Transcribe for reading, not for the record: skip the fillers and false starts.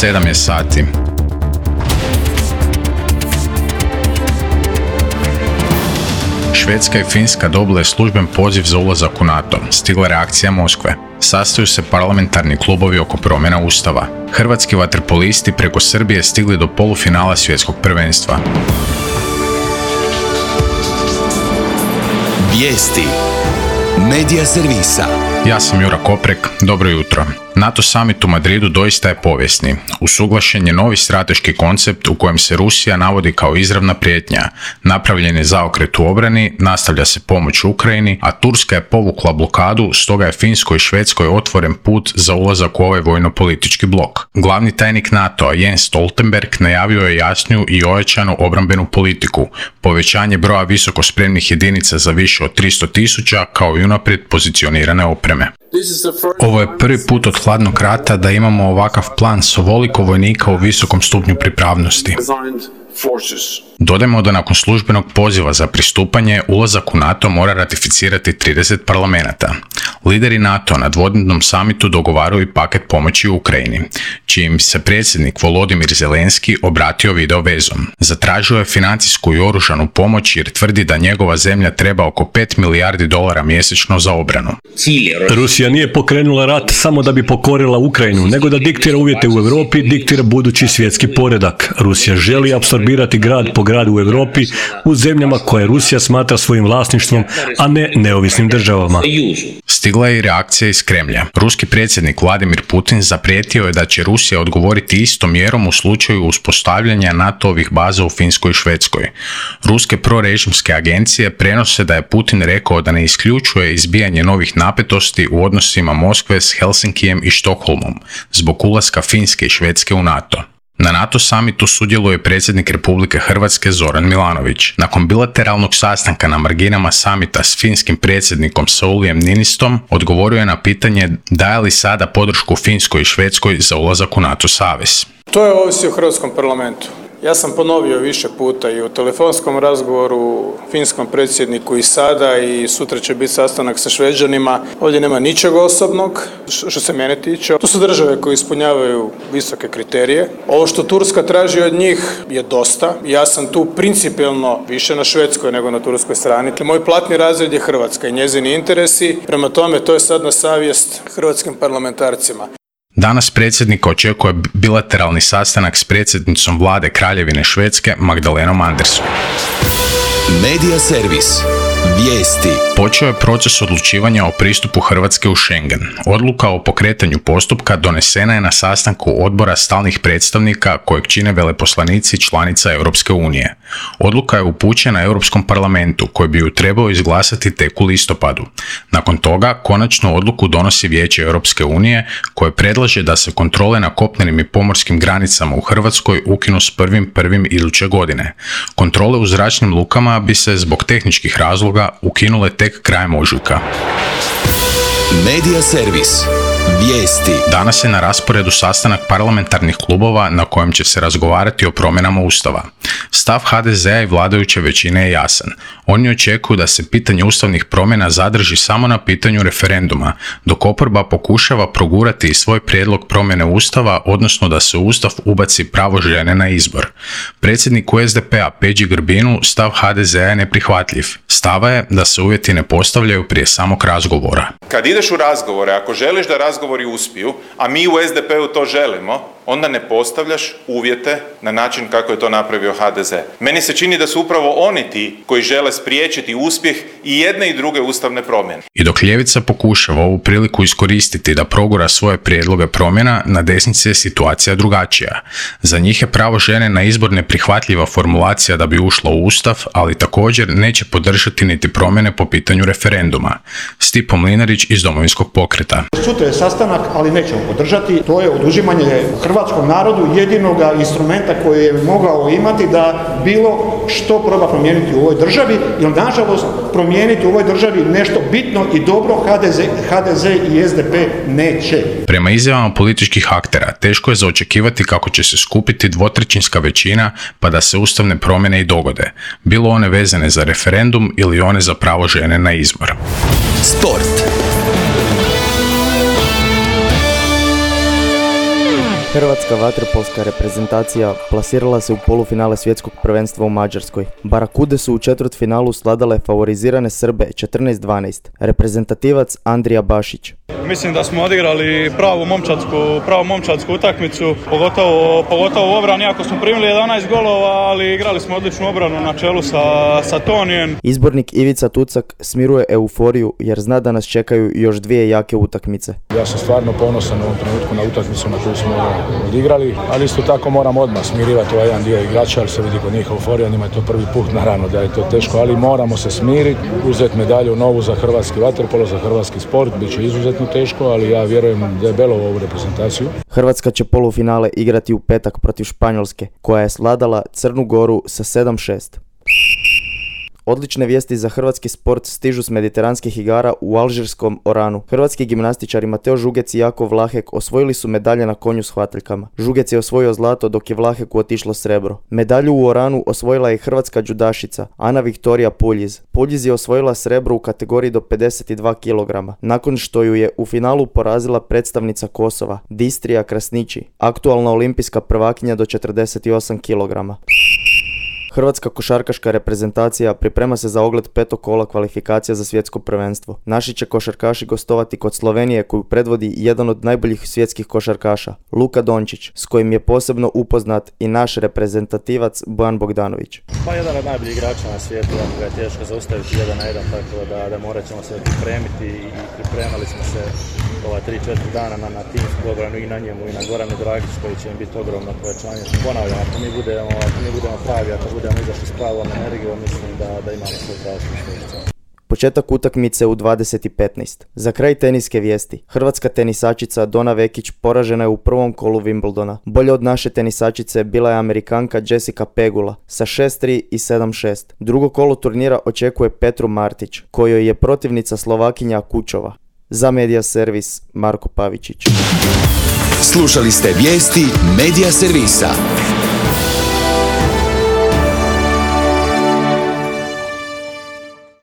7 je sati. Švedska i Finska dobile služben poziv za ulazak u NATO. Stigla reakcija Moskve. Sastaju se parlamentarni klubovi oko promjena ustava. Hrvatski vaterpolisti preko Srbije stigli do polufinala svjetskog prvenstva. Vijesti Medija servisa. Ja sam Jura Koprek, dobro jutro. NATO summit u Madridu doista je povijesni. Usuglašen je novi strateški koncept u kojem se Rusija navodi kao izravna prijetnja. Napravljen je zaokret u obrani, nastavlja se pomoć Ukrajini, a Turska je povukla blokadu, stoga je Finskoj i Švedskoj otvoren put za ulazak u ovaj vojno-politički blok. Glavni tajnik NATO-a Jens Stoltenberg najavio je jasniju i ojačanu obrambenu politiku, povećanje broja visoko spremnih jedinica za više od 300.000 kao i unaprijed pozicionirane opreme. Ovo je prvi put od hladnog rata da imamo ovakav plan s ovoliko vojnika u visokom stupnju pripravnosti. Dodajmo da nakon službenog poziva za pristupanje, ulazak u NATO mora ratificirati 30 parlamenata. Lideri NATO na dvodnevnom samitu dogovaraju i paket pomoći Ukrajini, čijim se predsjednik Volodimir Zelenski obratio video vezom. Zatražio je financijsku i oružanu pomoć jer tvrdi da njegova zemlja treba oko $5 milijardi mjesečno za obranu. Rusija nije pokrenula rat samo da bi pokorila Ukrajinu, nego da diktira uvjete u Europi, diktira budući svjetski poredak. Rusija želi apsorbirati grad po gradu u Europi u zemljama koje Rusija smatra svojim vlasništvom, a ne neovisnim državama. Stigla je i reakcija iz Kremlja. Ruski predsjednik Vladimir Putin zaprijetio je da će Rusija odgovoriti istom mjerom u slučaju uspostavljanja NATO-ovih baza u Finskoj i Švedskoj. Ruske prorežimske agencije prenose da je Putin rekao da ne isključuje izbijanje novih napetosti u odnosima Moskve s Helsinkijem i Štokholmom zbog ulaska Finske i Švedske u NATO. Na NATO summitu sudjeluje predsjednik Republike Hrvatske Zoran Milanović. Nakon bilateralnog sastanka na marginama summita s finskim predsjednikom Saulijem Niinistom, odgovorio je na pitanje daje li sada podršku Finskoj i Švedskoj za ulazak u NATO savez. To je ovisi o Hrvatskom parlamentu. Ja sam ponovio više puta i u telefonskom razgovoru finskom predsjedniku i sada i sutra će biti sastanak sa Šveđanima. Ovdje nema ničega osobnog što se mene tiče. To su države koje ispunjavaju visoke kriterije. Ovo što Turska traži od njih je dosta. Ja sam tu principijelno više na švedskoj nego na turskoj strani. Moj platni razred je Hrvatska i njezini interesi. Prema tome to je sad na savjest hrvatskim parlamentarcima. Danas predsjednika očekuje bilateralni sastanak s predsjednicom vlade Kraljevine Švedske Magdalenom Andersson. Medija servis. Vijesti. Počeo je proces odlučivanja o pristupu Hrvatske u Schengen. Odluka o pokretanju postupka donesena je na sastanku odbora stalnih predstavnika kojeg čine veleposlanici članica Europske unije. Odluka je upućena Europskom parlamentu koji bi ju trebao izglasati tek u listopadu. Nakon toga konačnu odluku donosi Vijeće Europske unije koje predlaže da se kontrole na kopnenim i pomorskim granicama u Hrvatskoj ukinu s 1.1. iduće godine. Kontrole u zračnim lukama bi se zbog tehničkih razloga ukinule tek krajem ožujka. Medija servis. Vijesti. Danas je na rasporedu sastanak parlamentarnih klubova na kojem će se razgovarati o promjenama Ustava. Stav HDZ-a i vladajuće većine je jasan. Oni očekuju da se pitanje ustavnih promjena zadrži samo na pitanju referenduma, dok oporba pokušava progurati i svoj prijedlog promjene Ustava, odnosno da se u Ustav ubaci pravo žene na izbor. Predsjedniku SDP-a Peđi Grbinu stav HDZ-a je neprihvatljiv. Stava je da se uvjeti ne postavljaju prije samog razgovora. Kad ideš u razgovore, ako želiš da razgovori uspiju, a mi u SDP-u to želimo, onda ne postavljaš uvjete na način kako je to napravio HDZ. Meni se čini da su upravo oni ti koji žele spriječiti uspjeh i jedne i druge ustavne promjene. I dok ljevica pokušava ovu priliku iskoristiti da progura svoje prijedloge promjena, na desnici je situacija drugačija. Za njih je pravo žene na izbor neprihvatljiva formulacija da bi ušla u Ustav, ali također neće podržati niti promjene po pitanju referenduma. Stipo Mlinarić iz Domovinskog pokreta. Sutra je sastanak, ali nećemo podržati. To je oduzimanje hrvatskom narodu jedinoga instrumenta koji je mogao imati da bilo što proba promijeniti u ovoj državi, jer nažalost promijeniti u ovoj državi nešto bitno i dobro HDZ i SDP neće. Prema izjavama političkih aktera, teško je za očekivati kako će se skupiti dvotrećinska većina pa da se ustavne promjene i dogode, bilo one vezane za referendum ili one za pravo žene na izbor. Sport. Hrvatska vaterpolska reprezentacija plasirala se u polufinale svjetskog prvenstva u Mađarskoj. Barakude su u četvrtfinalu sladale favorizirane Srbe 14-12. Reprezentativac Andrija Bašić. Mislim da smo odigrali pravu momčadsku utakmicu, pogotovo u obrani, iako smo primili 11 golova, ali igrali smo odličnu obranu na čelu sa Tonijem. Izbornik Ivica Tucak smiruje euforiju jer zna da nas čekaju još dvije jake utakmice. Ja sam stvarno ponosan u ovom trenutku na utakmicu na koju smo odigrali, ali isto tako moram odmah smirivati ovaj jedan dio igrača, ali se vidi kod njih euforija, njima je to prvi put, naravno da je to teško, ali moramo se smiriti, uzeti medalju novu za hrvatski vaterpolo, za hrvatski sport, bit će izuzetno teško, ali ja vjerujem debelo u ovu reprezentaciju. Hrvatska će polufinale igrati u petak protiv Španjolske, koja je svladala Crnu Goru sa 7-6. Odlične vijesti za hrvatski sport stižu s mediteranskih igara u alžirskom Oranu. Hrvatski gimnastičari Mateo Žugec i Jakov Vlahek osvojili su medalje na konju s hvataljkama. Žugec je osvojio zlato dok je Vlaheku otišlo srebro. Medalju u Oranu osvojila je i hrvatska džudašica Ana Viktorija Puljiz. Puljiz je osvojila srebro u kategoriji do 52 kg, nakon što ju je u finalu porazila predstavnica Kosova, Distrija Krasnići, aktualna olimpijska prvakinja do 48 kg. Hrvatska košarkaška reprezentacija priprema se za ogled 5. kola kvalifikacija za svjetsko prvenstvo. Naši će košarkaši gostovati kod Slovenije koju predvodi jedan od najboljih svjetskih košarkaša, Luka Dončić, s kojim je posebno upoznat i naš reprezentativac Bojan Bogdanović. Pa jedan od najboljih igrača na svijetu, jako ga je teško zaustaviti 1-1, tako da morat ćemo se pripremiti i pripremali smo se ova 3-4 dana na timsku obranu i na njemu i na Goranu Dragić koji će im biti ogromno povećanje. Ponavljam, ako mi budemo pravi, ako budemo izašli s pravom energijom, mislim da imamo svoj pravosno što. Početak utakmice u 20:15. Za kraj teniske vijesti. Hrvatska tenisačica Dona Vekić poražena je u prvom kolu Wimbledona. Bolje od naše tenisačice bila je Amerikanka Jessica Pegula sa 6-3 i 7-6. Drugo kolo turnira očekuje Petru Martić, kojoj je protivnica Slovakinja Kučova. Za Media Servis Marko Pavičić. Slušali ste vijesti Media Servisa.